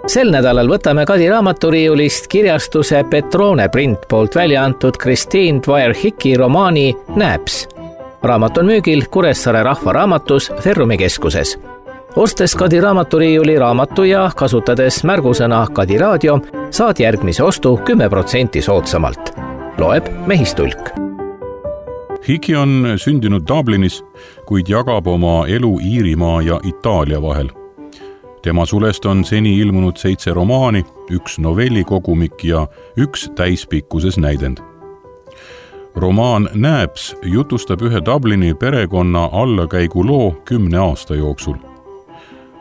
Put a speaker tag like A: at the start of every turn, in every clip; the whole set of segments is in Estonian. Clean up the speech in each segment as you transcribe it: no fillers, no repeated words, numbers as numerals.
A: Sel nädalal võtame Kadi raamaturiiulist kirjastuse Petrone print poolt välja antud Christine Dwyer-Hicki romaani Nääps. Raamat on müügil Kuressaare Rahvaraamatus Ferrumi keskuses. Ostes Kadi raamaturiiuli raamatu ja kasutades märgusõna Kadi raadio, saad järgmise ostu 10% soodsamalt. Loeb Mehistulk.
B: Hicki on sündinud Dublinis, kuid jagab oma elu Iirimaa ja Itaalia vahel. Tema sulest on seni ilmunud 7 romaani, 1 novellikogumik ja 1 täispikkuses näidend. Romaan Nääps jutustab ühe Dublini perekonna allakäigu loo 10 aasta jooksul.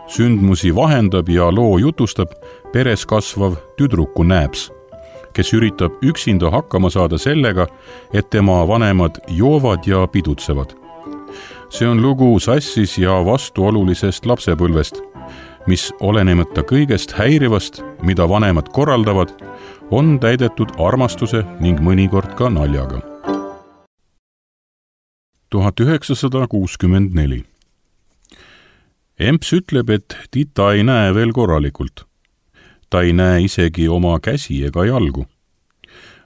B: Sündmusi vahendab ja loo jutustab peres kasvav tüdruku Nääps, kes üritab üksinda hakkama saada sellega, et tema vanemad joovad ja pidutsevad. See on lugu sassis ja vastuolulisest lapsepõlvest, mis olenemata kõigest häirivast, mida vanemad korraldavad, on täidetud armastuse ning mõnikord ka naljaga. 1964. Emps ütleb, et Tita ei näe veel korralikult. Ta ei näe isegi oma käsi ega jalgu.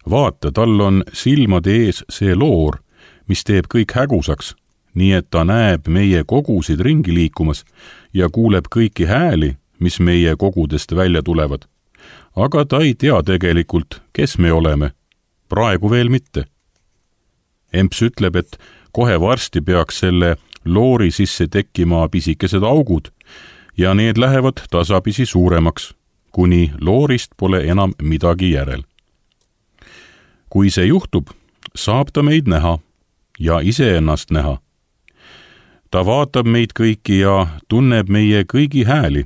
B: Vaata, tal on silmade ees see loor, mis teeb kõik hägusaks, nii et ta näeb meie kogusid ringi liikumas ja kuuleb kõiki hääli, mis meie kogudest välja tulevad. Aga ta ei tea tegelikult, kes me oleme. Praegu veel mitte. Emps ütleb, et kohe varsti peaks selle loori sisse tekkima pisikesed augud ja need lähevad tasapisi suuremaks, kuni loorist pole enam midagi järel. Kui see juhtub, saab ta meid näha ja iseennast näha. Ta vaatab meid kõiki ja tunneb meie kõigi hääli.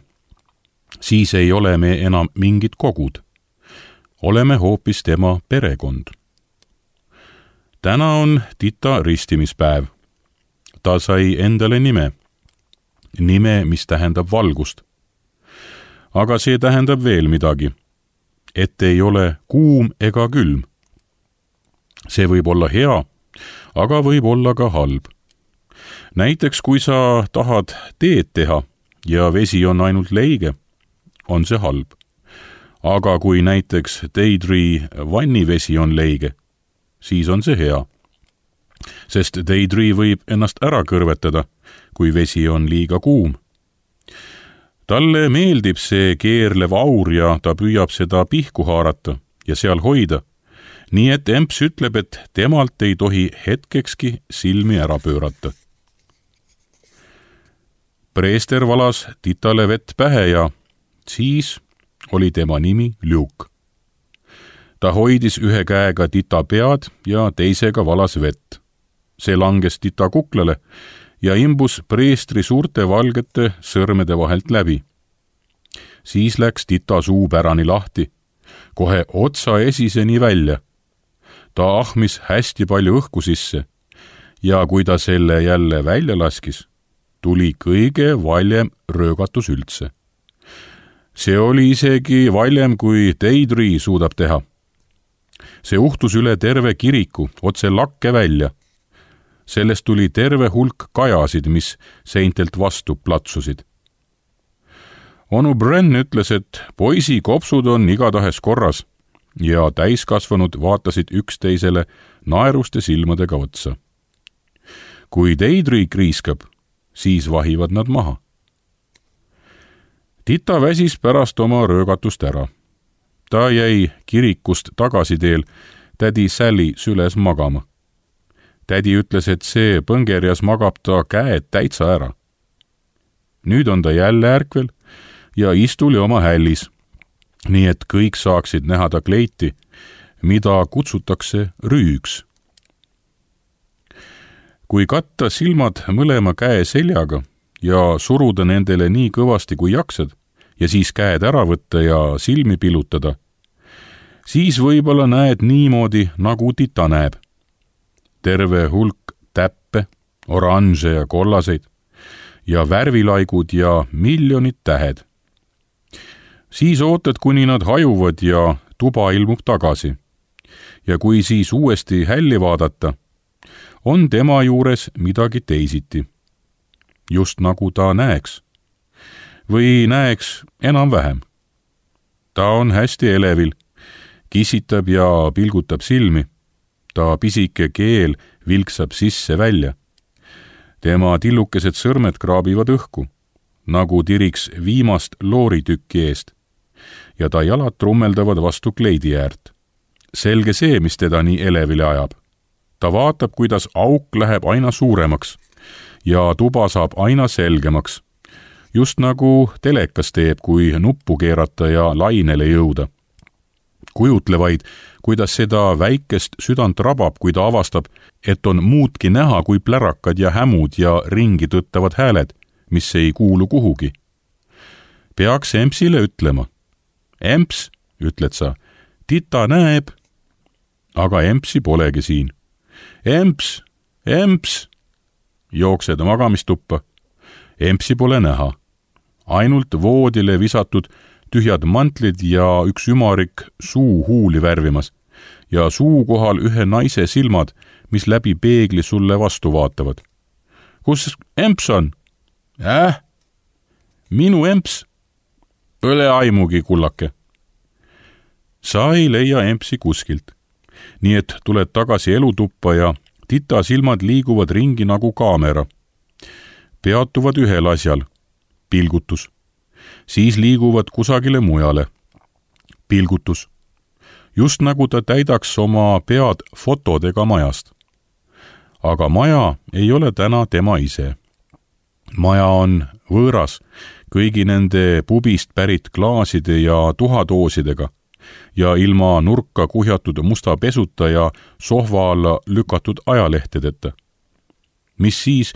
B: Siis ei ole me enam mingid kogud. Oleme hoopis tema perekond. Täna on Tita ristimispäev. Ta sai endale nime. Nime, mis tähendab valgust. Aga see tähendab veel midagi. Et ei ole kuum ega külm. See võib olla hea, aga võib olla ka halb. Näiteks, kui sa tahad teed teha ja vesi on ainult leige, on see halb. Aga kui näiteks Daydree vannivesi on leige, siis on see hea. Sest Daydree võib ennast ära kõrvetada, kui vesi on liiga kuum. Talle meeldib see keerlev aur ja ta püüab seda pihku haarata ja seal hoida, nii et Emps ütleb, et temalt ei tohi hetkekski silmi ära pöörata. Preester valas Titale vett pähe ja siis oli tema nimi Luke. Ta hoidis ühe käega Tita pead ja teisega valas vett. See langes Tita kuklale ja imbus preestri suurte valgete sõrmede vahelt läbi. Siis läks Tita suu pärani lahti, kohe otsa esiseni välja. Ta ahmis hästi palju õhku sisse ja kui ta selle jälle välja laskis, tuli kõige valjem röögatus üldse. See oli isegi valjem, kui Daydree suudab teha. See uhtus üle terve kiriku, otse lakke välja. Sellest tuli terve hulk kajasid, mis seintelt vastu platsusid. Onu Bren ütles, et poisi kopsud on igatahes korras ja täiskasvanud vaatasid üksteisele naeruste silmadega otsa. Kui Daydree kriiskab, siis vahivad nad maha. Tita väsis pärast oma röögatust ära. Ta jäi kirikust tagasiteel tädi Sally süles magama. Tädi ütles, et see põngerjas magab ta käed täitsa ära. Nüüd on ta jälle ärkvel ja istuli oma hällis, nii et kõik saaksid näha ta kleiti, mida kutsutakse rüüks. Kui katta silmad mõlema käe seljaga ja suruda nendele nii kõvasti kui jaksad ja siis käed ära võtta ja silmi pilutada, siis võib-olla näed niimoodi, nagu Tita näeb. Terve hulk täppe, oranže ja kollaseid ja värvilaigud ja miljonid tähed. Siis ootad, kuni nad hajuvad ja tuba ilmub tagasi. Ja kui siis uuesti hälli vaadata, on tema juures midagi teisiti. Just nagu ta näeks. Või näeks enam-vähem. ta on hästi elevil, kissitab ja pilgutab silmi. Ta pisike keel vilksab sisse välja. Tema tillukesed sõrmed kraabivad õhku, nagu tiriks viimast looritükki eest. Ja ta jalad trummeldavad vastu kleidi äärt. Selge see, mis teda nii elevile ajab. Ta vaatab, kuidas auk läheb aina suuremaks ja tuba saab aina selgemaks. Just nagu telekas teeb, kui nuppu keerata ja lainele jõuda. Kujutle vaid, kuidas seda väikest südant rabab, kui ta avastab, et on muudki näha kui plärakad ja hämud ja ringi tõttavad hääled, mis ei kuulu kuhugi. Peaks Empsile ütlema. Emps, ütled sa, tita näeb. Aga Empsi polegi siin. Emps, Emps, jooksed magamistuppa. Empsi pole näha. Ainult voodile visatud tühjad mantlid ja üks ümarik suu huuli värvimas ja suu kohal ühe naise silmad, mis läbi peegli sulle vastu vaatavad. Kus Emps on? Minu Emps? Õle aimugi, kullake. Sa ei leia Empsi kuskilt. Nii et tuled tagasi elutuppa ja tita silmad liiguvad ringi nagu kaamera. Peatuvad ühel asjal. Pilgutus. Siis liiguvad kusagile mujale. Pilgutus. Just nagu ta täidaks oma pead fotodega majast. Aga maja ei ole täna tema ise. Maja on võõras kõigi nende pubist pärit klaaside ja tuhadoosidega ja ilma nurka kuhjatud musta pesuta ja sohva alla lükatud ajalehtedeta. Mis siis,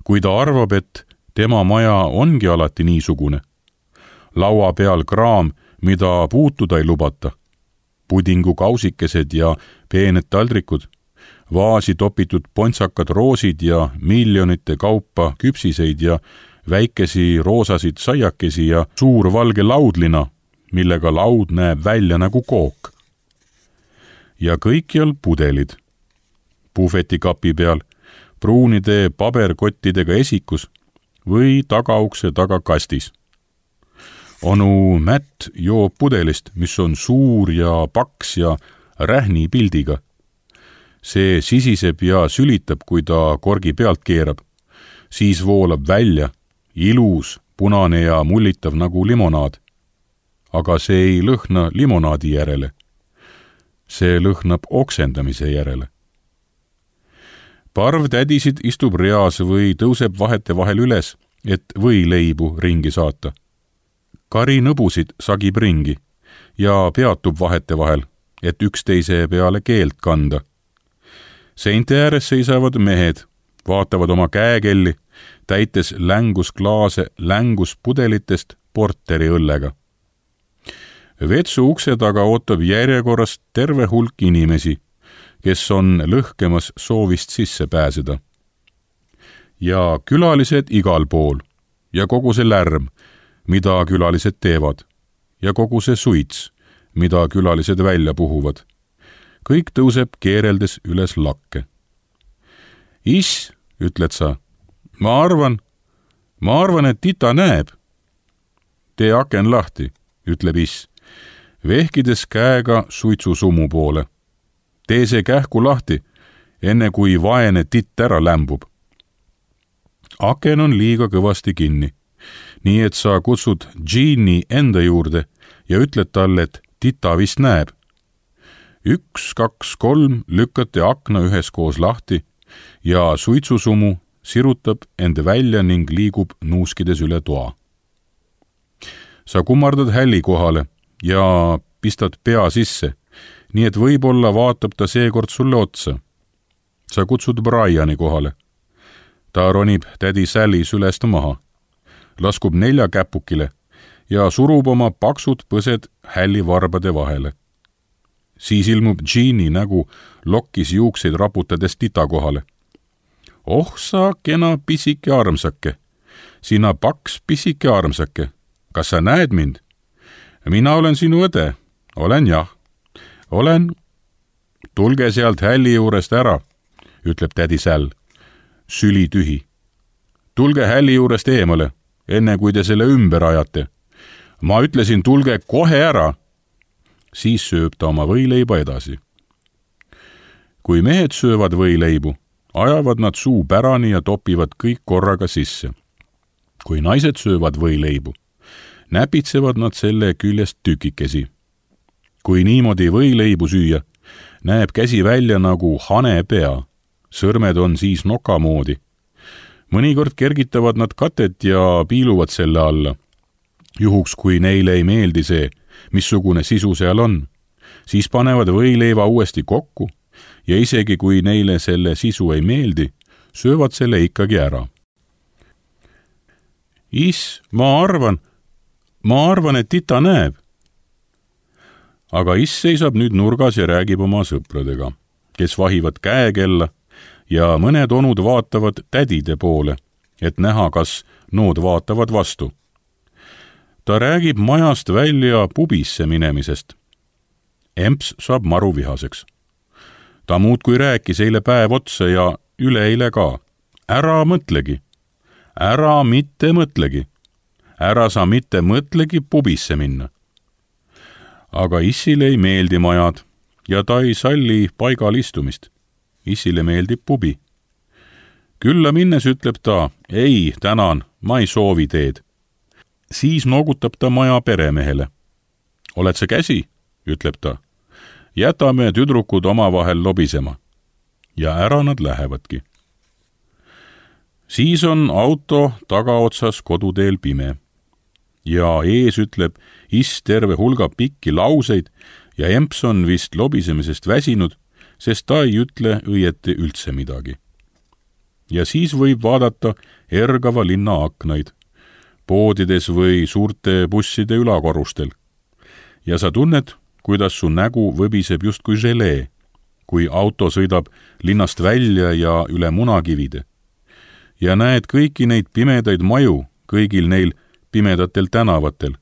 B: kui ta arvab, et tema maja ongi alati niisugune? Laua peal kraam, mida puutuda ei lubata. Pudingu kausikesed ja peened taldrikud, vaasi topitud pontsakad roosid ja miljonite kaupa küpsiseid ja väikesi roosasid saiakesi ja suur valge laudlina, millega laud näeb välja nagu kook. Ja kõikjal pudelid. Puhvetikapi peal, pruunide paberkottidega esikus või tagaukse taga kastis. Onu Mätt joob pudelist, mis on suur ja paks ja rähni pildiga. See sisiseb ja sülitab, kui ta korgi pealt keerab. Siis voolab välja, ilus, punane ja mullitav nagu limonaad. Aga see ei lõhna limonaadi järele. See lõhnab oksendamise järele. Parv tädisid istub reas või tõuseb vahete vahel üles, et võileibu ringi saata. Kari nõbusid sagib ringi ja peatub vahete vahel, et üksteise peale keelt kanda. Seinte ääres seisavad mehed, vaatavad oma käekelli, täites längusklaase länguspudelitest porteri õllega. Vetsu ukse taga ootab järjekorras terve hulk inimesi, kes on lõhkemas soovist sisse pääseda. Ja külalised igal pool ja kogu see lärm, mida külalised teevad, ja kogu see suits, mida külalised välja puhuvad. Kõik tõuseb keereldes üles lakke. Is, ütled sa, ma arvan, et tita näeb. Tee aken lahti, ütleb is, vehkides käega suitsusumu poole. Tee see kähku lahti, enne kui vaene titt ära lämbub. Aken on liiga kõvasti kinni. Nii et sa kutsud Jean'i enda juurde ja ütled talle, et tita vist näeb. 1, 2, 3 lükkate akna üheskoos lahti ja suitsusumu sirutab enda välja ning liigub nuuskides üle toa. Sa kummardad hälli kohale ja pistad pea sisse, nii et võib-olla vaatab ta seekord sulle otsa. Sa kutsud Briani kohale. Ta ronib tädi Sally sülest maha. Laskub 4 käpukile ja surub oma paksud põsed hällivarbade vahele. Siis ilmub Jean'i nägu lokkis juukseid raputades tita kohale. Oh sa kena pisike armsake, sina paks pisike armsake, kas sa näed mind? Mina olen sinu õde, olen jah, olen. Tulge sealt hälli juurest ära, ütleb tädi Säll, süli tühi. Tulge hälli juurest eemale, enne kui te selle ümber ajate. Ma ütlesin, tulge kohe ära, siis sööb ta oma võileiba edasi. Kui mehed söövad võileibu, ajavad nad suu pärani ja topivad kõik korraga sisse. Kui naised söövad võileibu, näpitsevad nad selle küljest tükikesi. Kui niimoodi võileibu süüa, näeb käsi välja nagu hane pea, sõrmed on siis noka moodi. Mõnikord kergitavad nad katet ja piiluvad selle alla. Juhuks, kui neile ei meeldi see, missugune sisu seal on, siis panevad võileiva uuesti kokku ja isegi kui neile selle sisu ei meeldi, söövad selle ikkagi ära. Ma arvan, et tita näeb. Aga seisab nüüd nurgas ja räägib oma sõpradega, kes vahivad käekella ja mõned onud vaatavad tädide poole, et näha, kas nood vaatavad vastu. Ta räägib majast välja pubisse minemisest. Emps saab maru vihaseks. Ta muudkui rääkis eile päev otsa ja üleeile ka. Ära mõtlegi. Ära mitte mõtlegi. Ära sa mitte mõtlegi pubisse minna. Aga Issile ei meeldi majad ja ta ei salli paigal istumist. Issile meeldib pubi. Külla minnes ütleb ta, ei, tänan, ma ei soovi teed. Siis noogutab ta maja peremehele. Oled sa käsi, ütleb ta. Jätame tüdrukud omavahel lobisema. Ja ära nad lähevadki. Siis on auto tagaotsas koduteel pime. Ja ees ütleb terve hulga pikki lauseid ja Emps on vist lobisemisest väsinud, sest ta ei ütle õieti üldse midagi. Ja siis võib vaadata ergava linna aknaid, poodides või suurte busside ülakorrustel. Ja sa tunned, kuidas su nägu võbiseb justkui želee, kui auto sõidab linnast välja ja üle munakivide. Ja näed kõiki neid pimedaid maju, kõigil neil pimedatel tänavatel.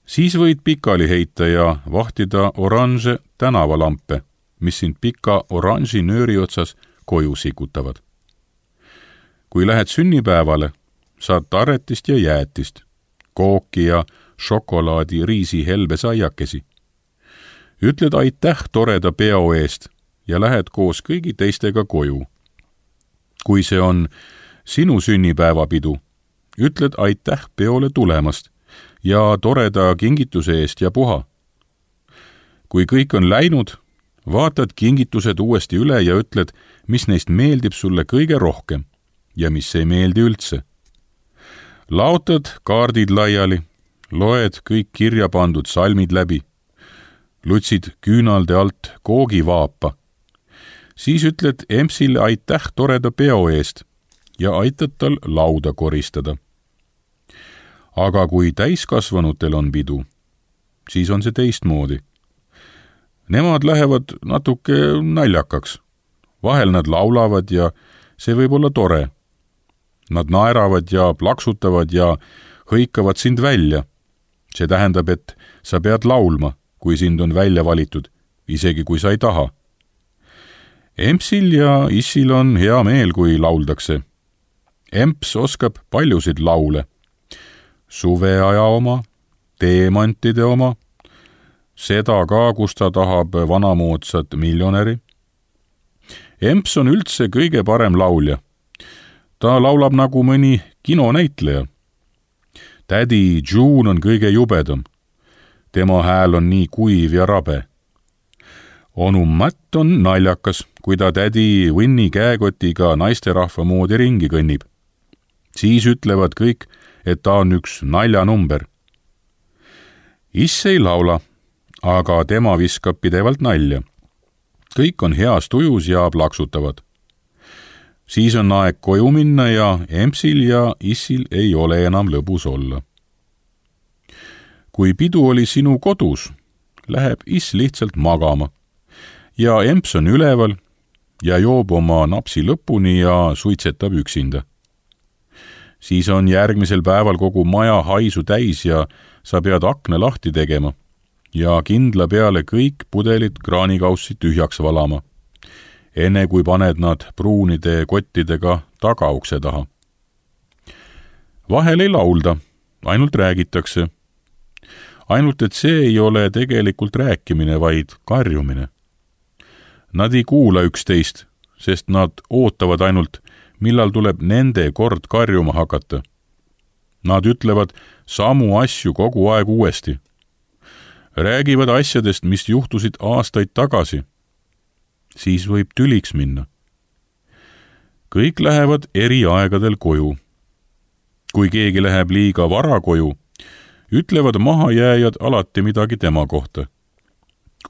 B: Siis võid pikali heita ja vahtida oranže tänavalampe, mis sind pika oranži nööri otsas koju sikutavad. Kui lähed sünnipäevale, saad tarretist ja jäätist, kooki ja šokolaadi riisi helbesaiakesi. Ütled aitäh toreda peo eest ja lähed koos kõigi teistega koju. Kui see on sinu sünnipäevapidu, ütled aitäh peole tulemast ja toreda kingituse eest ja puha. Kui kõik on läinud, vaatad kingitused uuesti üle ja ütled, mis neist meeldib sulle kõige rohkem ja mis ei meeldi üldse. Laotad kaardid laiali, loed kõik kirja pandud salmid läbi, lutsid küünalde alt koogivaapa. Siis ütled Empsile aitäh toreda peo eest ja aitad tal lauda koristada. Aga kui täiskasvanutel on pidu, siis on see teistmoodi. Nemad lähevad natuke naljakaks. Vahel nad laulavad ja see võib olla tore. Nad naeravad ja plaksutavad ja hõikavad sind välja. See tähendab, et sa pead laulma, kui sind on välja valitud, isegi kui sa ei taha. Empsil ja Issil on hea meel, kui lauldakse. Emps oskab paljusid laule. Suveaja oma, teemantide oma, seda ka, kus ta tahab vanamoodsat miljonäri. Emps on üldse kõige parem laulja. Ta laulab nagu mõni kinonäitleja. Tädi June on kõige jubedam. Tema hääl on nii kuiv ja rabe. Onu Matt on naljakas, kui ta tädi Winnie käekotiga naisterahva moodi ringi kõnnib. Siis ütlevad kõik, et ta on üks naljanumber. Iss ei laula, aga tema viskab pidevalt nalja. Kõik on heas tujus ja plaksutavad. Siis on aeg koju minna ja Empsil ja Issil ei ole enam lõbus olla. Kui pidu oli sinu kodus, läheb Iss lihtsalt magama ja Emps on üleval ja joob oma napsi lõpuni ja suitsetab üksinda. Siis on järgmisel päeval kogu maja haisu täis ja sa pead akna lahti tegema ja kindla peale kõik pudelid kraanikaussi tühjaks valama, enne kui paned nad pruunide kottidega tagaukse taha. Vahel ei laulda, ainult räägitakse. ainult et see ei ole tegelikult rääkimine, vaid karjumine. Nad ei kuula üksteist, sest nad ootavad ainult, millal tuleb nende kord karjuma hakata. Nad ütlevad samu asju kogu aeg uuesti. Räägivad asjadest, mis juhtusid aastaid tagasi. Siis võib tüliks minna. Kõik lähevad eri aegadel koju. Kui keegi läheb liiga vara koju, ütlevad mahajääjad alati midagi tema kohta.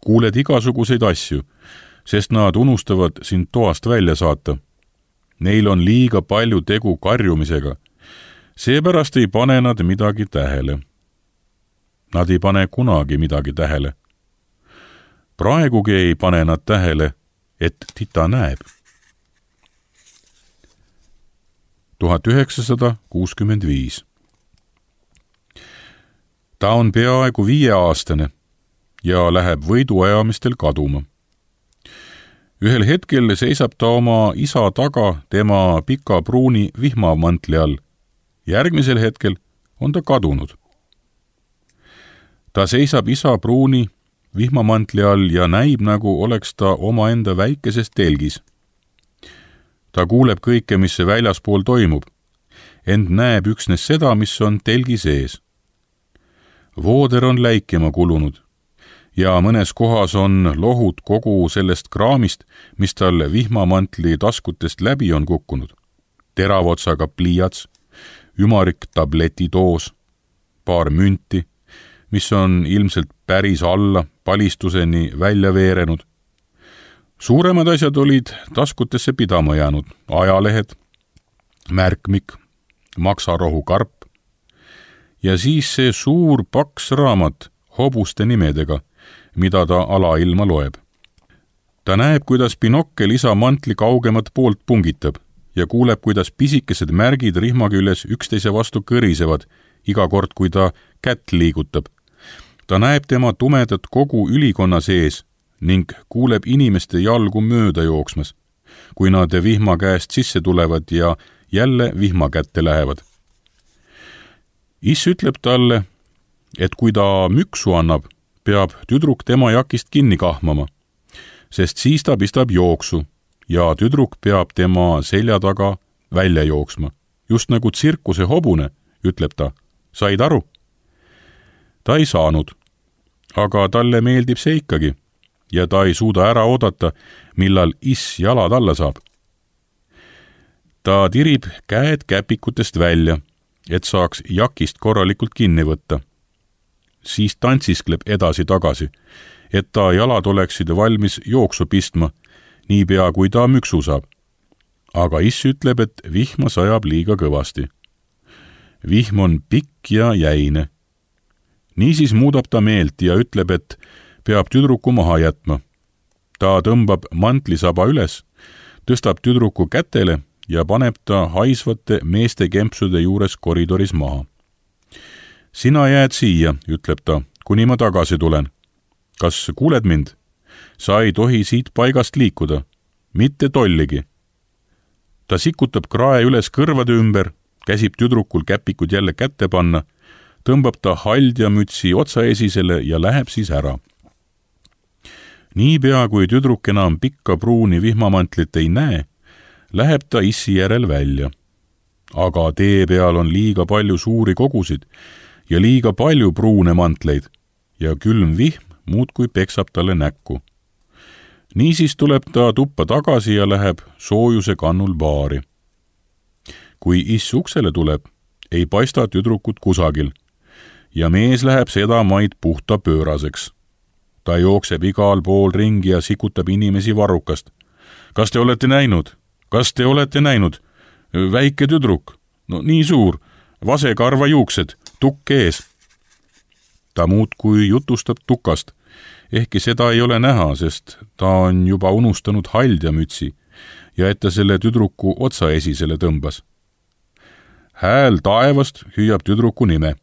B: Kuuled igasuguseid asju, sest nad unustavad sind toast välja saata. Neil on liiga palju tegu karjumisega. Seepärast ei pane nad midagi tähele. Nad ei pane kunagi midagi tähele. Praegugi ei pane nad tähele, et tita näeb. 1965. Ta on peaaegu 5-aastane ja läheb võiduajamistel kaduma. Ühel hetkel seisab ta oma isa taga tema pika pruuni vihmamantli all. Järgmisel hetkel on ta kadunud. Ta seisab isa pruuni vihmamantli all ja näib, nagu oleks ta omaenda väikeses telgis. Ta kuuleb kõike, mis väljaspool toimub, ent näeb üksnes seda, mis on telgi sees. Vooder on läikima kulunud ja mõnes kohas on lohud kogu sellest kraamist, mis tal vihmamantli taskutest läbi on kukkunud. Teravotsaga pliiats, ümarik tabletidoos, paar münti, mis on ilmselt päris alla palistuseni välja veerenud. Suuremad asjad olid taskutesse pidama jäänud, ajalehed, märkmik, maksarohukarp ja siis see suur paks raamat hobuste nimedega, mida ta alailma loeb. Ta näeb, kuidas binokkel isa mantli kaugemat poolt pungitab ja kuuleb, kuidas pisikesed märgid rihma küljes üksteise vastu kõrisevad iga kord, kui ta kätt liigutab. Ta näeb tema tumedat kogu ülikonna sees ning kuuleb inimeste jalgu mööda jooksmas, kui nad vihma käest sisse tulevad ja jälle vihma kätte lähevad. Iss ütleb talle, et kui ta müksu annab, peab tüdruk tema jakist kinni kahmama, sest siis ta pistab jooksu ja tüdruk peab tema selja taga välja jooksma. Just nagu tsirkuse hobune, ütleb ta. Said aru? Ta ei saanud, aga talle meeldib see ikkagi ja ta ei suuda ära oodata, millal iss jalad alla saab. Ta tirib käed käpikutest välja, et saaks jakist korralikult kinni võtta. Siis tantsiskleb edasi-tagasi, et ta jalad oleksid valmis jooksu pistma, niipea kui ta müksu saab. Aga iss ütleb, et vihma sajab liiga kõvasti. Vihm on pikk ja jäine. Niisiis muudab ta meelt ja ütleb, et peab tüdruku maha jätma. Ta tõmbab mantlisaba üles, tõstab tüdruku kätele ja paneb ta haisvate meeste kempsude juures koridoris maha. Sina jääd siia, ütleb ta, kuni ma tagasi tulen. Kas kuuled mind? Sa ei tohi siit paigast liikuda, mitte tolligi. Ta sikutab krae üles kõrvade ümber, käsib tüdrukul käpikud jälle kätte panna, tõmbab ta haldjamütsi otsaesisele ja läheb siis ära. Niipea, kui tüdruk enam pikka pruuni vihmamantlit ei näe, läheb ta issi järel välja. Aga tee peal on liiga palju suuri kogusid ja liiga palju pruune mantleid ja külm vihm muudkui peksab talle näkku. Niisiis tuleb ta tuppa tagasi ja läheb soojuse kannul baari. Kui iss uksele tuleb, ei paista tüdrukut kusagil ja mees läheb seda maid puhta pööraseks. Ta jookseb igal pool ringi ja sikutab inimesi varrukast. Kas te olete näinud? Kas te olete näinud? Väike tüdruk, no nii suur, vasekarva juuksed, tukk ees. Ta muudkui jutustab tukast, ehkki seda ei ole näha, sest ta on juba unustanud haldjamütsi ja et ta selle tüdruku otsaesisele tõmbas. Hääl taevast hüüab tüdruku nime.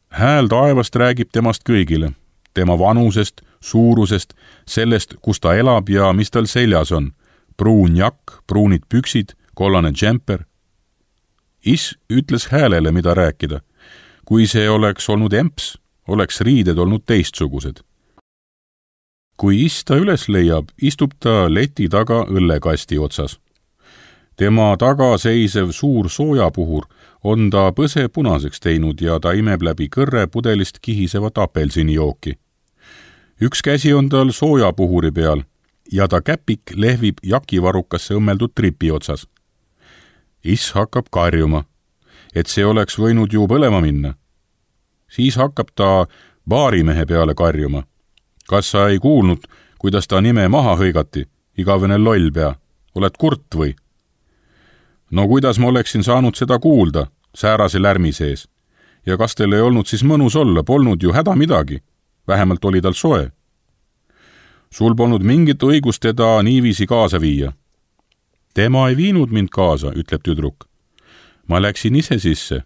B: Hääl taevast räägib temast kõigile, tema vanusest, suurusest, sellest, kus ta elab ja mis tal seljas on. Pruun jakk, pruunid püksid, kollane džemper. Iss ütles häälele, mida rääkida. Kui see oleks olnud emps, oleks riided olnud teistsugused. Kui iss ta üles leiab, istub ta leti taga õllekasti otsas. Tema taga seisev suur soojapuhur on ta põse punaseks teinud ja ta imeb läbi kõrre pudelist kihisevat apelsinijooki. Üks käsi on tal soojapuhuri peal ja ta käpik lehvib jakivarukasse õmmeldud tripi otsas. Iss hakkab karjuma, et see oleks võinud ju põlema minna. Siis hakkab ta baarimehe peale karjuma. Kas sa ei kuulnud, kuidas ta nime maha hõigati, igavene lollpea? Oled kurt või? No kuidas ma oleksin saanud seda kuulda, säärase lärmi sees? Ja kas teil ei olnud siis mõnus olla, polnud ju häda midagi? Vähemalt oli tal soe. Sul polnud mingit õigust teda niiviisi kaasa viia. Tema ei viinud mind kaasa, ütleb tüdruk. Ma läksin ise sisse.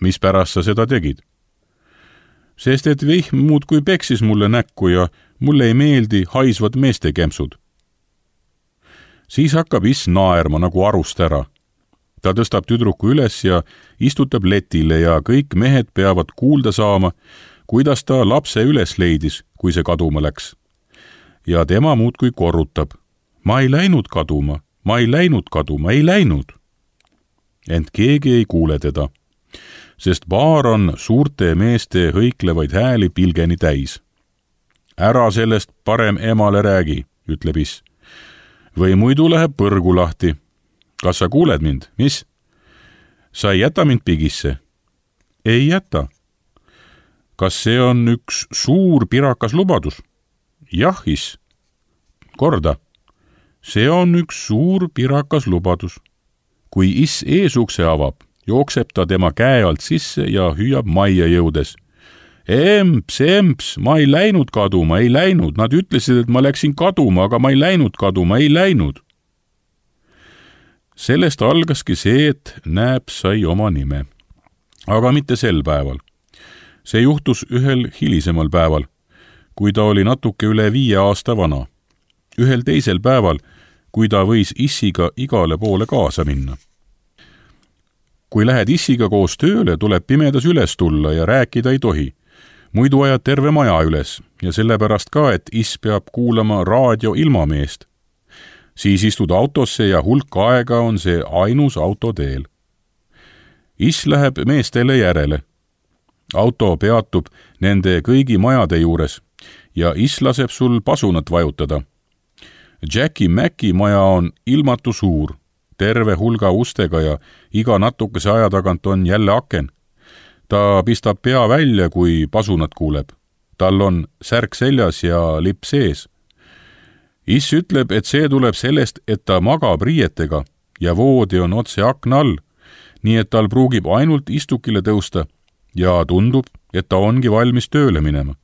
B: Mis pärast sa seda tegid? Sest et vihm muudkui peksis mulle näkku ja mulle ei meeldi haisvad meeste kempsud. Siis hakkab iss naerma nagu arust ära. Ta tõstab tüdruku üles ja istutab letile ja kõik mehed peavad kuulda saama, kuidas ta lapse üles leidis, kui see kaduma läks. Ja tema muudkui korrutab. Ma ei läinud kaduma, ma ei läinud kaduma, ei läinud. Ent keegi ei kuule teda, sest baar on suurte meeste hõiklevaid hääli pilgeni täis. Ära sellest parem emale räägi, ütleb iss. Või muidu läheb põrgu lahti. Kas sa kuuled mind, mis? Sa ei jäta mind pigisse? Ei jäta. Kas see on üks suur pirakas lubadus? Jah, iss. Korda. See on üks suur pirakas lubadus. Kui iss eesukse avab, jookseb ta tema käe alt sisse ja hüüab majja jõudes. Emps, ma ei läinud kaduma, ei läinud. Nad ütlesid, et ma läksin kaduma, aga ma ei läinud kaduma, ei läinud. Sellest algaski see, et Nääps sai oma nime. Aga mitte sel päeval. See juhtus ühel hilisemal päeval, kui ta oli natuke üle 5 aasta vana. Ühel teisel päeval, kui ta võis issiga igale poole kaasa minna. Kui lähed issiga koos tööle, tuleb pimedas üles tulla ja rääkida ei tohi. Muidu ajad terve maja üles ja sellepärast ka, et iss peab kuulama raadio ilmameest. Siis istud autosse ja hulk aega on see ainus auto teel. Iss läheb meestele järele. Auto peatub nende kõigi majade juures ja iss laseb sul pasunat vajutada. Jackie Macki maja on ilmatu suur, terve hulga ustega ja iga natukese aja tagant on jälle aken. Ta pistab pea välja, kui pasunat kuuleb. Tal on särk seljas ja lipp sees. Iss ütleb, et see tuleb sellest, et ta magab riietega ja voodi on otse akna all, nii et tal pruugib ainult istukile tõusta ja tundub, et ta ongi valmis tööle minema.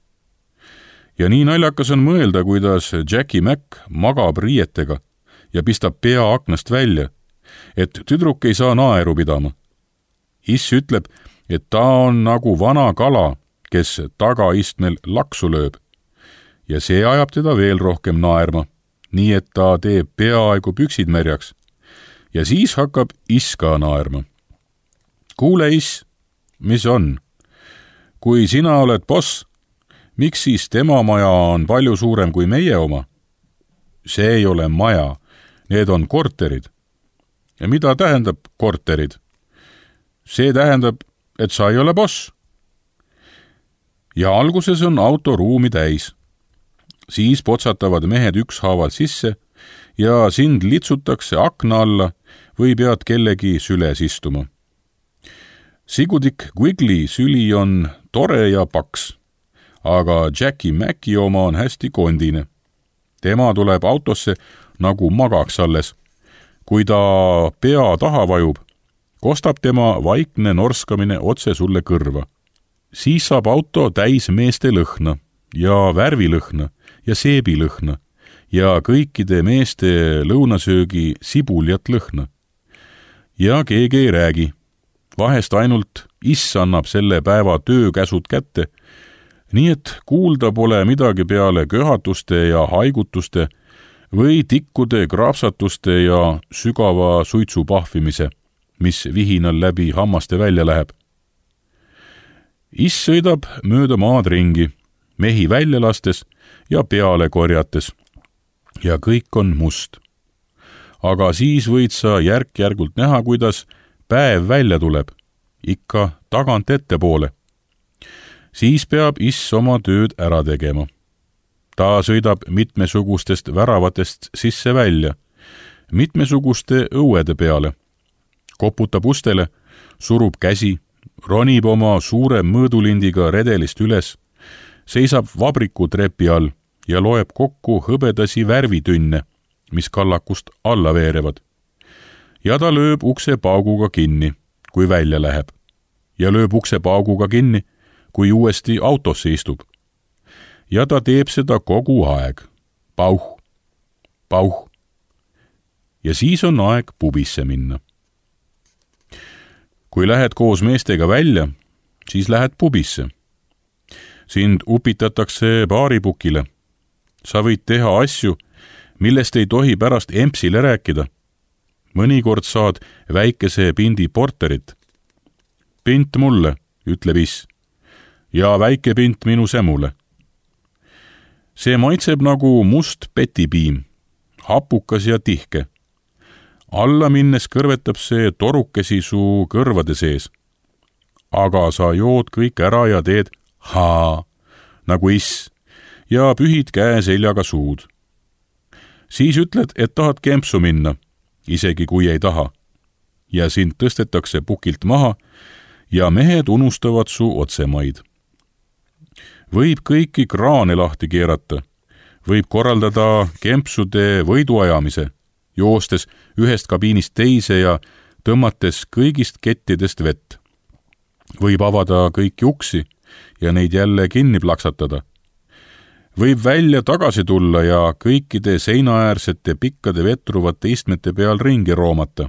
B: Ja nii naljakas on mõelda, kuidas Jackie Mac magab riietega ja pistab pea aknast välja, et tüdruk ei saa naeru pidama. Iss ütleb, et ta on nagu vana kala, kes tagaistmel laksu lööb. Ja see ajab teda veel rohkem naerma, nii et ta teeb peaaegu püksid märjaks. Ja siis hakkab iss ka naerma. Kuule iss, mis on? Kui sina oled boss, miks siis tema maja on palju suurem kui meie oma? See ei ole maja, need on korterid. Ja mida tähendab korterid? See tähendab, et sa ei ole boss. Ja alguses on auto ruumi täis. Siis potsatavad mehed ükshaaval sisse ja sind litsutakse akna alla või pead kellegi süles istuma. Sigudik Quigley süli on tore ja paks, aga Jackie Macki oma on hästi kondine. Tema tuleb autosse nagu magaks alles. Kui ta pea taha vajub, kostab tema vaikne norskamine otse sulle kõrva. Siis saab auto täis meeste lõhna ja värvilõhna ja seebilõhna ja kõikide meeste lõunasöögi sibuljat lõhna. Ja keegi ei räägi. Vahest ainult iss annab selle päeva töökäsud kätte, nii et kuulda pole midagi peale köhatuste ja haigutuste või tikkude kraapsatuste ja sügava suitsu pahvimise, mis vihinal läbi hammaste välja läheb. Iss sõidab mööda maad ringi, mehi välja lastes ja peale korjates. Ja kõik on must. Aga siis võid sa järk-järgult näha, kuidas päev välja tuleb, ikka tagant ettepoole. Siis peab Iss oma tööd ära tegema. Ta sõidab mitmesugustest väravatest sisse välja, mitmesuguste õuede peale, koputab ustele, surub käsi, ronib oma suure mõõdulindiga redelist üles, seisab vabrikutrepi all ja loeb kokku hõbedasi värvitünne, mis kallakust alla veerevad. Ja ta lööb ukse pauguga kinni, kui välja läheb, ja lööb ukse pauguga kinni, kui uuesti autosse istub. Ja ta teeb seda kogu aeg. Pauh, pauh. Ja siis on aeg pubisse minna. Kui lähed koos meestega välja, siis lähed pubisse. Sind upitatakse baaripukile. Sa võid teha asju, millest ei tohi pärast empsile rääkida. Mõnikord saad väikese pindi porterit. Pint mulle, ütleb Iss, ja väike pint minu semule. See maitseb nagu must petipiim, hapukas ja tihke. Alla minnes kõrvetab see torukesi su kõrvade sees. Aga sa jood kõik ära ja teed haa, nagu Iss, ja pühid käe seljaga suud. Siis ütled, et tahad kempsu minna, isegi kui ei taha. Ja sind tõstetakse pukilt maha ja mehed unustavad su otsemaid. Võib kõiki kraane lahti keerata, võib korraldada kempsude võiduajamise, joostes ühest kabiinist teise ja tõmmates kõigist kettidest vett. Võib avada kõiki uksi ja neid jälle kinni plaksatada. Võib välja tagasi tulla ja kõikide seinaäärsete pikkade vetruvate istmete peal ringi roomata.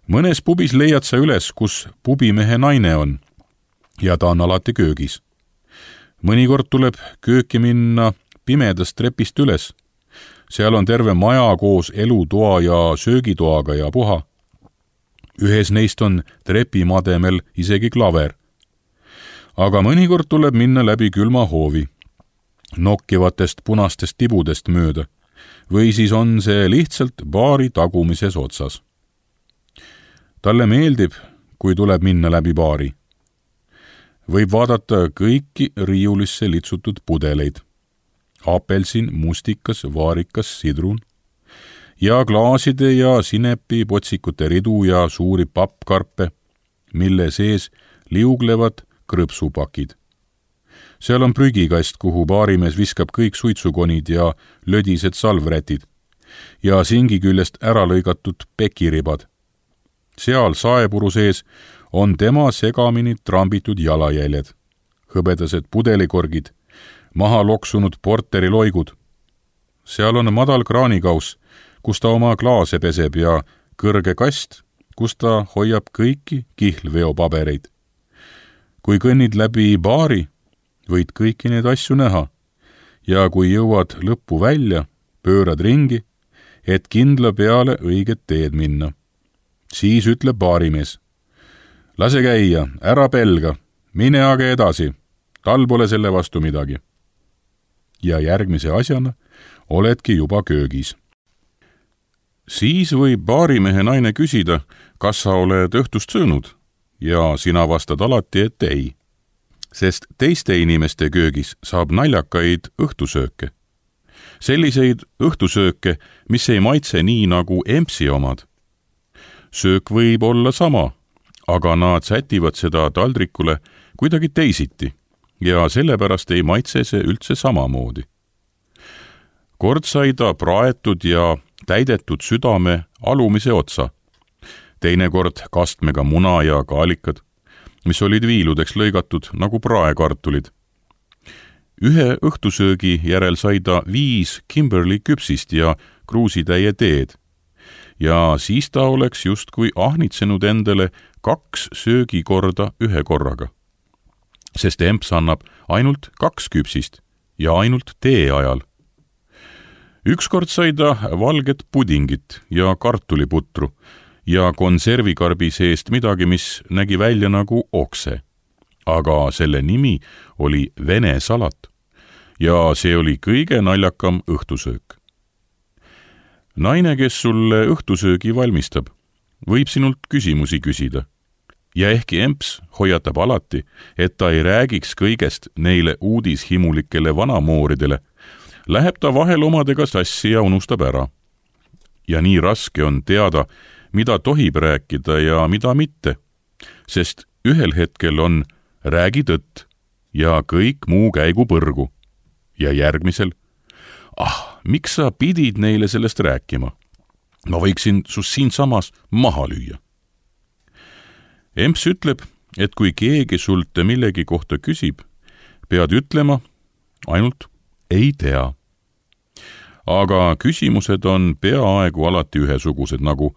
B: Mõnes pubis leiad sa üles, kus pubimehe naine on, ja ta on alati köögis. Mõnikord tuleb kööki minna pimedast trepist üles. Seal on terve maja koos elutoa ja söögitoaga ja puha. Ühes neist on trepimademel isegi klaver. Aga mõnikord tuleb minna läbi külma hoovi, nokkivatest punastest tibudest mööda, või siis on see lihtsalt baari tagumises otsas. Talle meeldib, kui tuleb minna läbi baari. Võib vaadata kõiki riiulisse litsutud pudeleid. Apelsin, mustikas, vaarikas, sidrun. Ja klaaside ja sinepi potsikute ridu ja suuri pappkarpe, mille sees liuglevad krõpsupakid. Seal on prügikast, kuhu baarimees viskab kõik suitsukonid ja lödised salvrätid ja singi küljest ära lõigatud pekiribad. Seal saepuru sees on tema segamini trambitud jalajäljed, hõbedased pudelikorgid, maha loksunud porteriloigud. Seal on madal kraanikauss, kus ta oma klaase peseb ja kõrge kast, kus ta hoiab kõiki kihlveopabereid. Kui kõnnid läbi baari, võid kõiki need asju näha ja kui jõuad lõppu välja, pöörad ringi, et kindla peale õiget teed minna. Siis ütleb baarimees: lase käia, ära pelga, mine aga edasi, tal pole selle vastu midagi. Ja järgmise asjana oledki juba köögis. Siis võib baarimehe naine küsida, kas sa oled õhtust söönud, ja sina vastad alati, et ei. Sest teiste inimeste köögis saab naljakaid õhtusööke. Selliseid õhtusööke, mis ei maitse nii nagu empsi omad. Söök võib olla sama, aga nad sätivad seda taldrikule kuidagi teisiti ja sellepärast ei maitse see üldse samamoodi. Kord sai ta praetud ja täidetud südame alumise otsa, teinekord kastmega muna ja kaalikad, mis olid viiludeks lõigatud nagu praekartulid. Ühe õhtusöögi järel sai ta 5 Kimberly küpsist ja kruusitäie teed. Ja siis ta oleks justkui ahnitsenud endale 2 söögikorda ühe korraga. Sest emps annab ainult 2 küpsist ja ainult tee ajal. Ükskord sai ta valget pudingit ja kartuliputru ja konservikarbi seest midagi, mis nägi välja nagu okse. aga selle nimi oli Vene salat ja see oli kõige naljakam õhtusöök. Naine, kes sulle õhtusöögi valmistab, võib sinult küsimusi küsida. Ja ehkki emps hoiatab alati, et ta ei räägiks kõigest neile uudishimulikele vanamooridele, läheb ta vahel omadega sassi ja unustab ära. Ja nii raske on teada, mida tohib rääkida ja mida mitte, sest ühel hetkel on räägi tõtt ja kõik muu käigu põrgu. Ja järgmisel, miks sa pidid neile sellest rääkima? Ma võiksin sus siinsamas maha lüüa. Emps ütleb, et kui keegi sult millegi kohta küsib, pead ütlema ainult ei tea. Aga küsimused on peaaegu alati ühesugused, nagu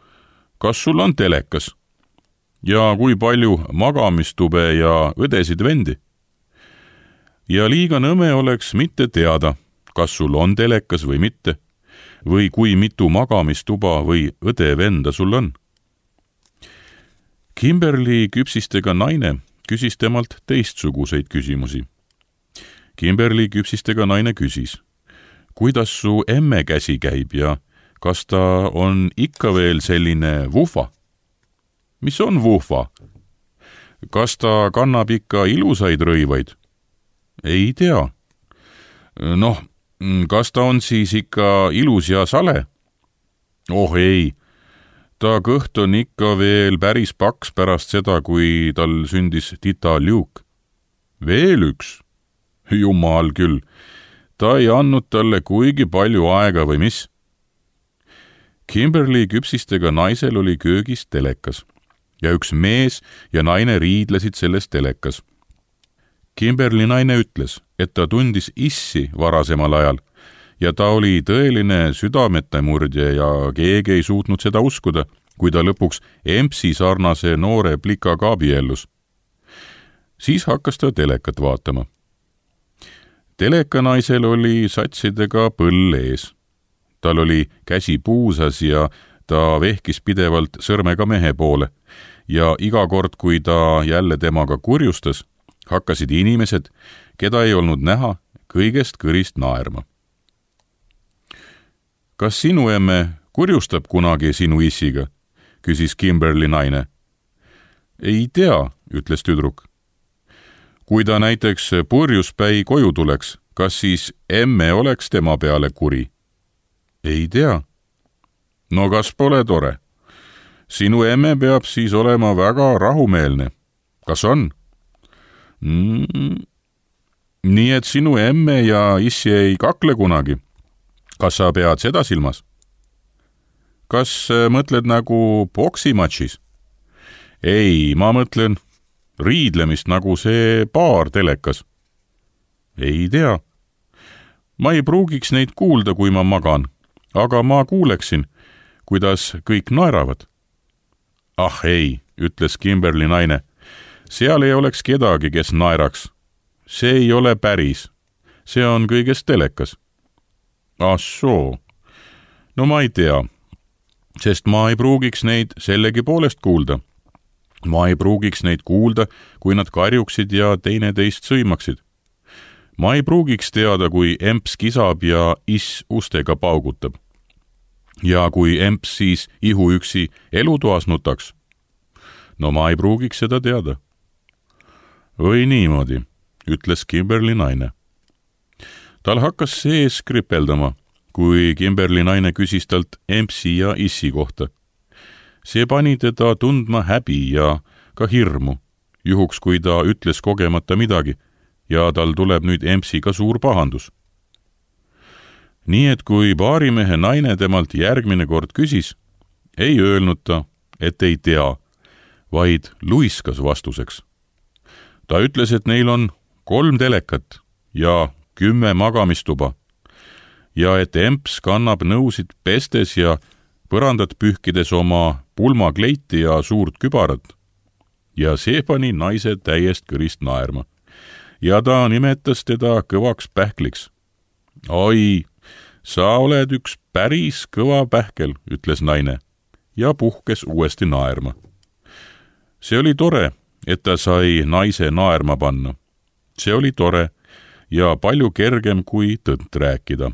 B: kas sul on telekas ja kui palju magamistube ja õdesid vendi. Ja liiga nõme oleks mitte teada, kas sul on telekas või mitte, või kui mitu magamistuba või õde-venda sul on. Kimberly küpsistega naine küsis temalt teistsuguseid küsimusi. Kimberly küpsistega naine küsis, kuidas su emme käsi käib ja kas ta on ikka veel selline vuhva? Mis on vuhva? Kas ta kannab ikka ilusaid rõivaid? Ei tea. Noh, kas ta on siis ikka ilus ja sale? Oh ei, ta kõht on ikka veel päris paks pärast seda, kui tal sündis tita Luke. Veel üks? Jumal küll, ta ei andnud talle kuigi palju aega või mis? Kimberly küpsistega naisel oli köögis telekas ja üks mees ja naine riidlesid selles telekas. Kimberly naine ütles, et ta tundis issi varasemal ajal ja ta oli tõeline südametemurdja ja keegi ei suutnud seda uskuda, kui ta lõpuks empsi sarnase noore plikaga abiellus. Siis hakkas ta telekat vaatama. Telekanaisel oli satsidega põll ees. Tal oli käsi puusas ja ta vehkis pidevalt sõrmega mehe poole ja iga kord, kui ta jälle temaga kurjustas, hakkasid inimesed, keda ei olnud näha, kõigest kõrist naerma. Kas sinu emme kurjustab kunagi sinu issiga? Küsis Kimberly naine. Ei tea, ütles tüdruk. Kui ta näiteks purjuspäi koju tuleks, kas siis emme oleks tema peale kuri? Ei tea. No kas pole tore? Sinu emme peab siis olema väga rahumeelne. Kas on? Nii et sinu emme ja issi ei kakle kunagi. Kas sa pead seda silmas? Kas mõtled nagu poksimatšis? Ei, ma mõtlen riidlemist nagu see paar telekas. Ei tea. Ma ei pruugiks neid kuulda, kui ma magan, aga ma kuuleksin, kuidas kõik naeravad. Ah ei, ütles Kimberly naine. Seal ei oleks kedagi, kes naeraks. See ei ole päris. See on kõigest telekas. Ah soo. No ma ei tea, sest ma ei pruugiks neid sellegi poolest kuulda. Ma ei pruugiks neid kuulda, kui nad karjuksid ja teineteist sõimaksid. Ma ei pruugiks teada, kui emps kisab ja iss ustega paugutab. Ja kui emps siis ihuüksi elutoas nutaks. No ma ei pruugiks seda teada. Või niimoodi, ütles Kimberly naine. Tal hakkas sees kripeldama, kui Kimberly naine küsis talt empsi ja issi kohta. See pani teda tundma häbi ja ka hirmu, juhuks kui ta ütles kogemata midagi ja tal tuleb nüüd empsiga suur pahandus. Nii et kui baarimehe naine temalt järgmine kord küsis, ei öelnud ta, et ei tea, vaid luiskas vastuseks. Ta ütles, et neil on 3 telekat ja 10 magamistuba ja et emps kannab nõusid pestes ja põrandat pühkides oma pulmakleiti ja suurt kübarat. Ja see pani naise täiest kõrist naerma. Ja ta nimetas teda kõvaks pähkliks. Oi, sa oled üks päris kõva pähkel, ütles naine ja puhkes uuesti naerma. See oli tore, et ta sai naise naerma panna. See oli tore ja palju kergem kui tõtt rääkida.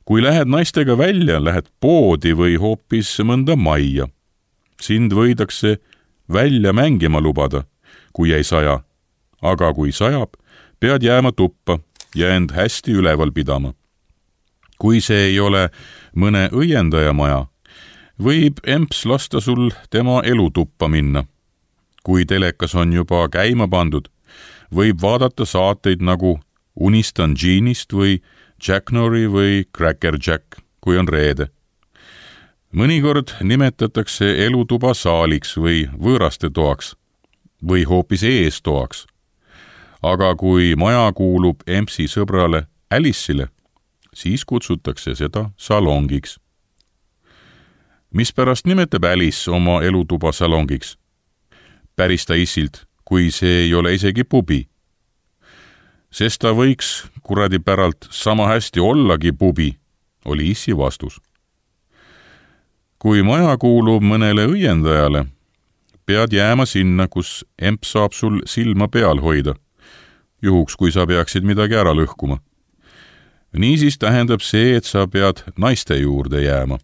B: Kui lähed naistega välja, lähed poodi või hoopis mõnda majja. Sind võidakse välja mängima lubada, kui ei saja. Aga kui sajab, pead jääma tuppa ja end hästi üleval pidama. Kui see ei ole mõne õiendaja maja, võib emps lasta sul tema elutuppa minna. Kui telekas on juba käima pandud, võib vaadata saateid nagu Unistan Jeanist või Jack Norrie või Cracker Jack, kui on reede. Mõnikord nimetatakse elutuba saaliks või võõraste toaks või hoopis eestoaks. Aga kui maja kuulub empsi sõbrale Alice'ile, siis kutsutakse seda salongiks. Mispärast nimetab Alice oma elutuba salongiks? Päris ta issilt, kui see ei ole isegi pubi. Sest ta võiks kuradi päralt sama hästi ollagi pubi, oli issi vastus. Kui maja kuulub mõnele õiendajale, pead jääma sinna, kus emp saab sul silma peal hoida, juhuks kui sa peaksid midagi ära lõhkuma. Niisiis tähendab see, et sa pead naiste juurde jääma.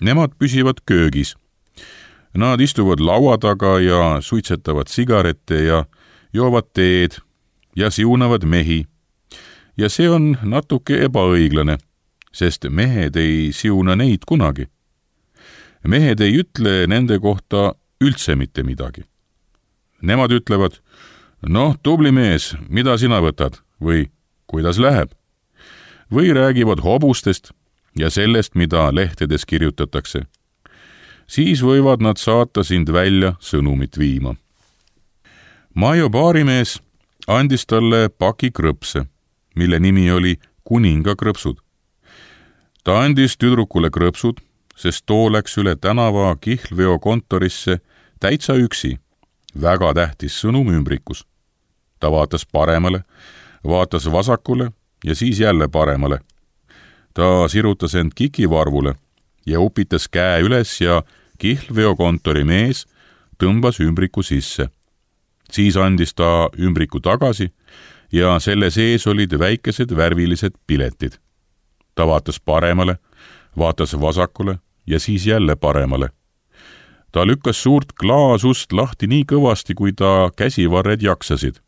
B: Nemad püsivad köögis. Nad istuvad laua taga ja suitsetavad sigarette ja joovad teed ja siunavad mehi. Ja see on natuke ebaõiglane, sest mehed ei siuna neid kunagi. Mehed ei ütle nende kohta üldse mitte midagi. Nemad ütlevad, noh, tubli mees, mida sina võtad või kuidas läheb? Või räägivad hobustest ja sellest, mida lehtedes kirjutatakse. Siis võivad nad saata sind välja sõnumit viima. Maio baarimees andis talle paki krõpse, mille nimi oli kuningakrõpsud. Ta andis tüdrukule krõpsud, sest too läks üle tänava kihlveokontorisse täitsa üksi, väga tähtis sõnum ümbrikus. Ta vaatas paremale, vaatas vasakule ja siis jälle paremale. Ta sirutas end kikivarvule ja upitas käe üles ja kihlveokontori mees tõmbas ümbriku sisse. Siis andis ta ümbriku tagasi ja selle sees olid väikesed värvilised piletid. Ta vaatas paremale, vaatas vasakule ja siis jälle paremale. Ta lükkas suurt klaasust lahti nii kõvasti, kui ta käsivarred jaksasid.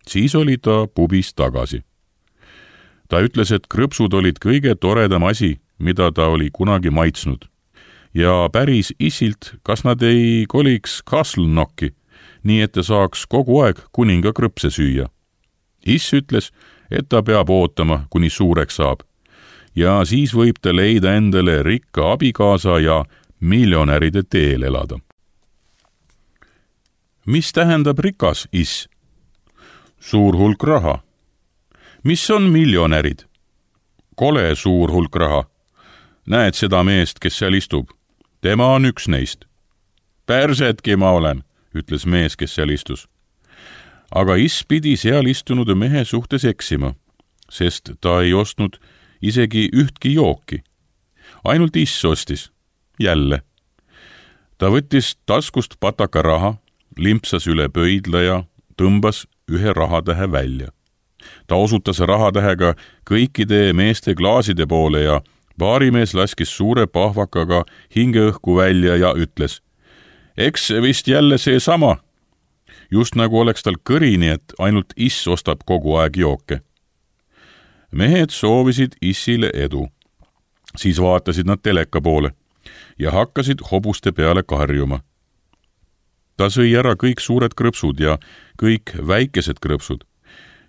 B: Siis oli ta pubis tagasi. Ta ütles, et krõpsud olid kõige toredam asi, mida ta oli kunagi maitsnud. Ja päris issilt, kas nad ei koliks Castle Knocki, nii et ta saaks kogu aeg kuninga krõpse süüa. Iss ütles, et ta peab ootama, kuni suureks saab. Ja siis võib ta leida endale rikka abikaasa ja miljonäride teel elada. Mis tähendab rikas, iss? Suur hulk raha. Mis on miljonärid? Kole suur hulk raha. Näed seda meest, kes seal istub? Tema on üks neist. Persetki ma olen, ütles mees, kes seal istus. Aga iss pidi seal istunud mehe suhtes eksima, sest ta ei ostnud isegi ühtki jooki. Ainult iss ostis. Jälle. Ta võttis taskust pataka raha, limpsas üle pöidla ja tõmbas ühe rahatähe välja. Ta osutas rahatähega kõikide meeste klaaside poole ja baarimees laskis suure pahvakaga hingeõhku välja ja ütles, eks vist jälle see sama. Just nagu oleks tal kõrini, et ainult iss ostab kogu aeg jooke. Mehed soovisid issile edu. Siis vaatasid nad teleka poole ja hakkasid hobuste peale karjuma. Ta sõi ära kõik suured krõpsud ja kõik väikesed krõpsud,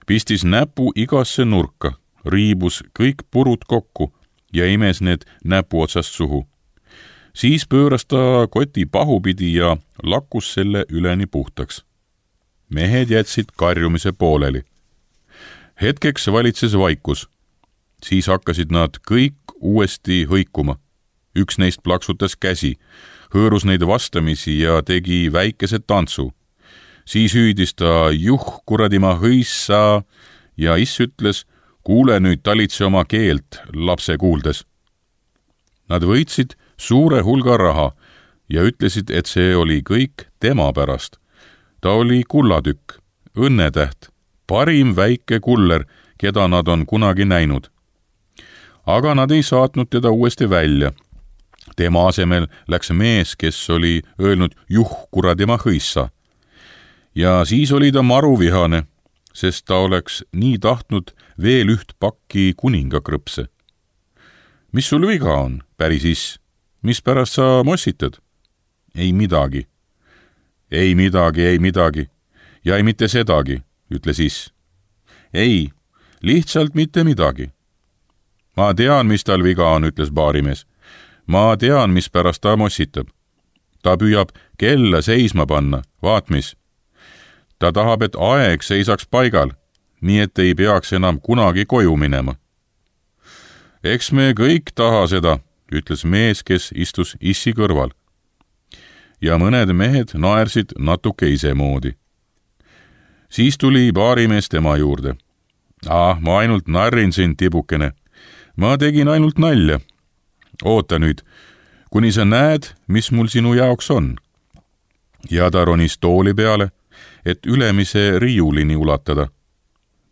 B: pistis näpu igasse nurka, riibus kõik purud kokku ja imes need näpu otsast suhu. Siis pööras ta koti pahupidi ja lakkus selle üleni puhtaks. Mehed jätsid karjumise pooleli. Hetkeks valitses vaikus. Siis hakkasid nad kõik uuesti hõikuma. Üks neist plaksutas käsi, hõõrus neid vastamisi ja tegi väikese tantsu. Siis hüüdis ta kuradi ma hõissa ja iss ütles, kuule nüüd talitse oma keelt, lapse kuuldes. Nad võitsid suure hulga raha, ja ütlesid, et see oli kõik tema pärast. Ta oli kullatükk, õnnetäht, parim väike kuller, keda nad on kunagi näinud. Aga nad ei saatnud teda uuesti välja. Tema asemel läks mees, kes oli öelnud kuradi ma hõissa. Ja siis oli ta maruvihane, sest ta oleks nii tahtnud veel üht pakki kuningakrõpse. Mis sul viga on, päris iss? Mis pärast sa mossitad? Ei midagi. Ei midagi. Ja ei mitte sedagi, ütles iss. Ei, lihtsalt mitte midagi. Ma tean, mis tal viga on, ütles baarimees. Ma tean, mis pärast ta mossitab. Ta püüab kella seisma panna, vaat mis. Ta tahab, et aeg seisaks paigal, nii et ei peaks enam kunagi koju minema. Eks me kõik taha seda, ütles mees, kes istus issi kõrval. Ja mõned mehed naersid natuke isemoodi. Siis tuli baarimees tema juurde. Ma ainult narrin sind, tibukene. Ma tegin ainult nalja. Oota nüüd, kuni sa näed, mis mul sinu jaoks on. Ja ta ronis tooli peale, et ülemise riiulini ulatada.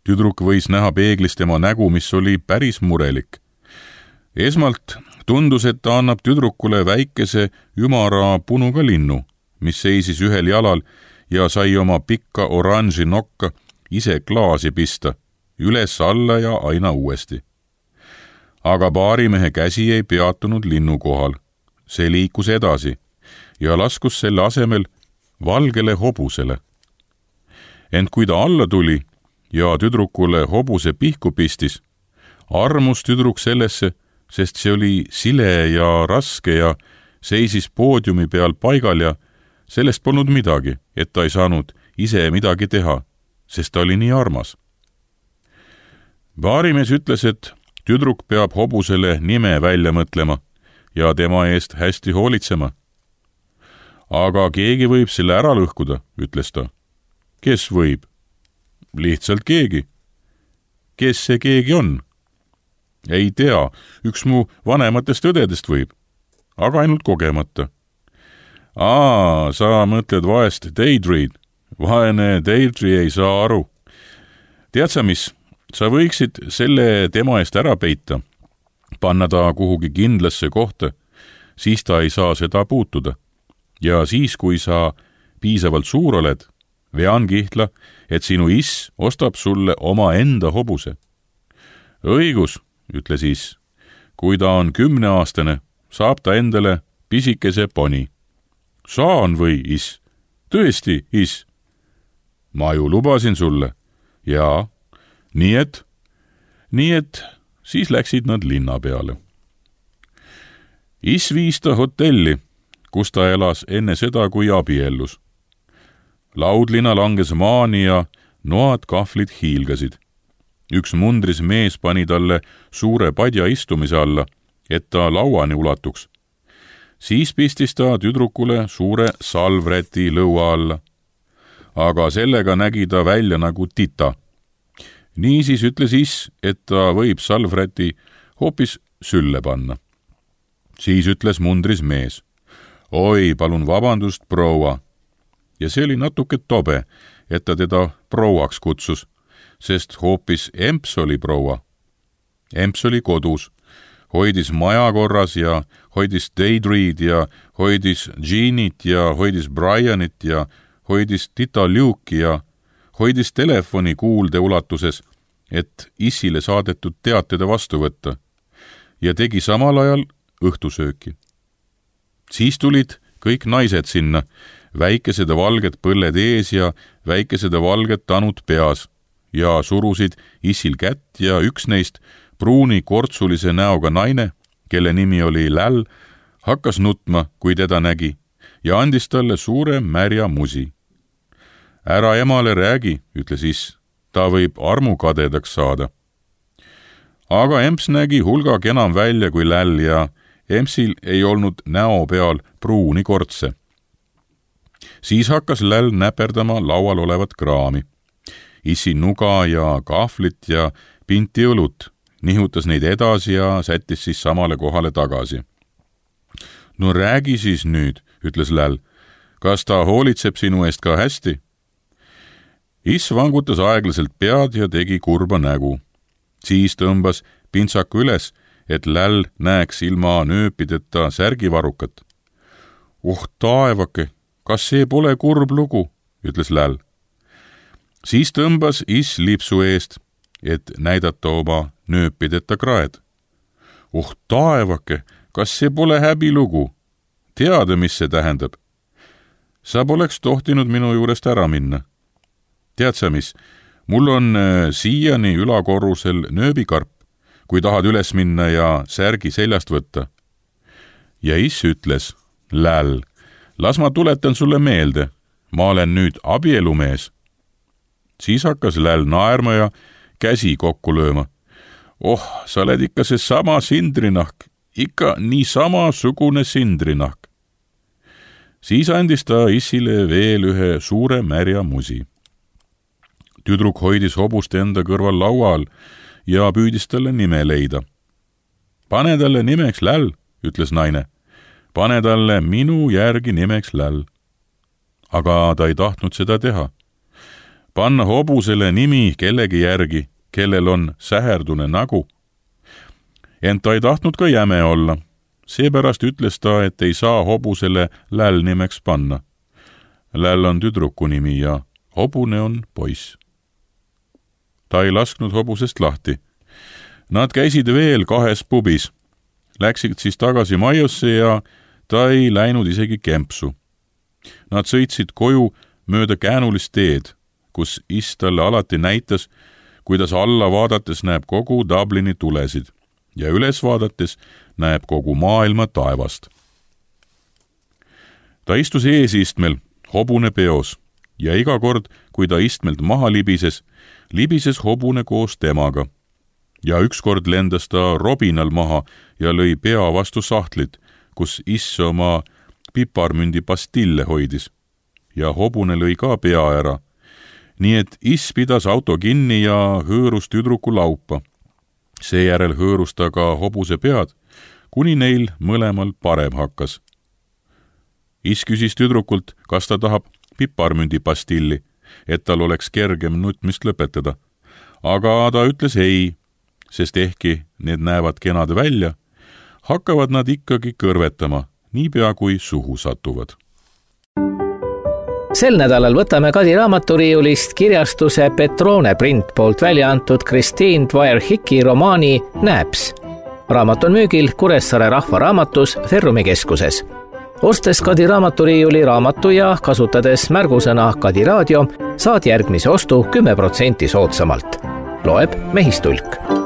B: Tüdruk võis näha peeglis tema nägu, mis oli päris murelik. Esmalt tundus, et ta annab tüdrukule väikese ümara punuga linnu, mis seisis ühel jalal ja sai oma pikka oranži nokka ise klaasi pista, üles-alla ja aina uuesti. Aga baarimehe käsi ei peatunud linnu kohal. See liikus edasi ja laskus selle asemel valgele hobusele. Ent kui ta alla tuli ja tüdrukule hobuse pihku pistis, armus tüdruk sellesse, sest see oli sile ja raske ja seisis poodiumi peal paigal ja sellest polnud midagi, et ta ei saanud ise midagi teha, sest ta oli nii armas. Baarimees ütles, et tüdruk peab hobusele nime välja mõtlema ja tema eest hästi hoolitsema. Aga keegi võib selle ära lõhkuda, ütles ta. Kes võib? Lihtsalt keegi. Kes see keegi on? Ei tea, üks mu vanematest õdedest võib, aga ainult kogemata. Sa mõtled vaest Deidreid. Vaene Deidre ei saa aru. Tead sa mis? Sa võiksid selle tema eest ära peita, panna ta kuhugi kindlasse kohta, siis ta ei saa seda puutuda. Ja siis, kui sa piisavalt suur oled, vean kihla, et sinu iss ostab sulle oma enda hobuse. Õigus, ütles iss. Kui ta on 10-aastane, saab ta endale pisikese poni. Saan või, iss? Tõesti, iss? Ma ju lubasin sulle. Jaa. Nii et siis läksid nad linna peale. Iss viis ta hotelli, kus ta elas enne seda, kui abiellus. Laudlina langes maani ja noad kahvlid hiilgasid. Üks mundris mees pani talle suure padja istumise alla, et ta lauani ulatuks. Siis pistis ta tüdrukule suure salvräti lõua alla. Aga sellega nägi ta välja nagu tita. Niisiis ütles iss, et ta võib salvräti hoopis sülle panna. Siis ütles mundris mees. Oi, palun vabandust, proua. Ja see oli natuke tobe, et ta teda prouaks kutsus, sest hoopis Emps oli proua. Emps oli kodus, hoidis maja korras ja hoidis Deidreid ja hoidis Jeanit ja hoidis Brianit ja hoidis tita Luke'i ja hoidis telefoni kuulde ulatuses, et issile saadetud teated vastu võtta ja tegi samal ajal õhtusööki. Siis tulid kõik naised sinna, väikesed valged põlled ees ja väikesed valged tanud peas ja surusid issil kätt ja üks neist, pruuni kortsulise näoga naine, kelle nimi oli Läll, hakkas nutma, kui teda nägi ja andis talle suure märja musi. Ära emale räägi, ütles iss, ta võib armukadedaks saada. Aga Emps nägi hulga enam välja kui Läll ja Empsil ei olnud näo peal pruuni kortse. Siis hakkas Läll näperdama laual olevat kraami. Issi nuga ja kahvlit ja pinti õlut, nihutas neid edasi ja sättis siis samale kohale tagasi. No räägi siis nüüd, ütles Läll. Kas ta hoolitseb sinu eest ka hästi? Iss vangutas aeglaselt pead ja tegi kurba nägu. Siis tõmbas pintsaku üles, et Läll näeks ilma nööpideta särgivarukat. Oh taevake, kas see pole kurb lugu, ütles Läll. Siis tõmbas Iss lipsu eest, et näidata oma nööpideta kraed. Oh taevake, kas see pole häbilugu? Teada, mis see tähendab? Sa poleks tohtinud minu juurest ära minna. Tead sa mis, mul on siiani ülakorrusel nööbikarp, kui tahad üles minna ja särgi seljast võtta. Ja Iss ütles, Läll, las ma tuletan sulle meelde, ma olen nüüd abielumees. Siis hakkas Läll naerma ja käsi kokku lööma. Oh, sa oled ikka see sama sindrinahk, ikka nii samasugune sindrinahk. Siis andis ta Issile veel ühe suure märja musi. Tüdruk hoidis hobust enda kõrval laua all ja püüdis talle nime leida. Pane talle nimeks Läll, ütles naine. Pane talle minu järgi nimeks Läll. Aga ta ei tahtnud seda teha. Panna hobusele nimi kellegi järgi, kellel on säherdune nägu. Ent ta ei tahtnud ka jäme olla. Seepärast ütles ta, et ei saa hobusele Läll nimeks panna. Läll on tüdruku nimi ja hobune on poiss. Ta ei lasknud hobusest lahti. Nad käisid veel 2 pubis. Läksid siis tagasi majjosse ja ta ei läinud isegi kempsu. Nad sõitsid koju mööda käänulist teed, kus Iss talle alati näitas, kuidas alla vaadates näeb kogu Dublini tulesid ja üles vaadates näeb kogu maailma taevast. Ta istus eesistmel, hobune peos, ja iga kord, kui ta istmelt maha libises hobune koos temaga. Ja ükskord lendas ta robinal maha ja lõi pea vastu sahtlit, kus Iss oma piparmündi pastille hoidis. Ja hobune lõi ka pea ära. Nii et Iss pidas auto kinni ja hõõrus tüdruku laupa. Seejärel hõõrus ta ka hobuse pead, kuni neil mõlemal parem hakkas. Iss küsis tüdrukult, kas ta tahab piparmündi pastilli, et tal oleks kergem nutmist lõpetada. Aga ta ütles ei, sest ehkki need näevad kenad välja, hakkavad nad ikkagi kõrvetama, niipea kui suhu satuvad.
A: Sel nädalal võtame Kadi raamaturiiulist kirjastuse Petrone print poolt välja antud Christine Dwyer-Hicki romaani Naps. Raamat on müügil Kuressaare Rahvaraamatus Ferrumi keskuses. Ostes Kadi raamaturiiuli raamatu ja kasutades märgusõna Kadi raadio, saad järgmise ostu 10% soodsamalt. Loeb Mehistulk.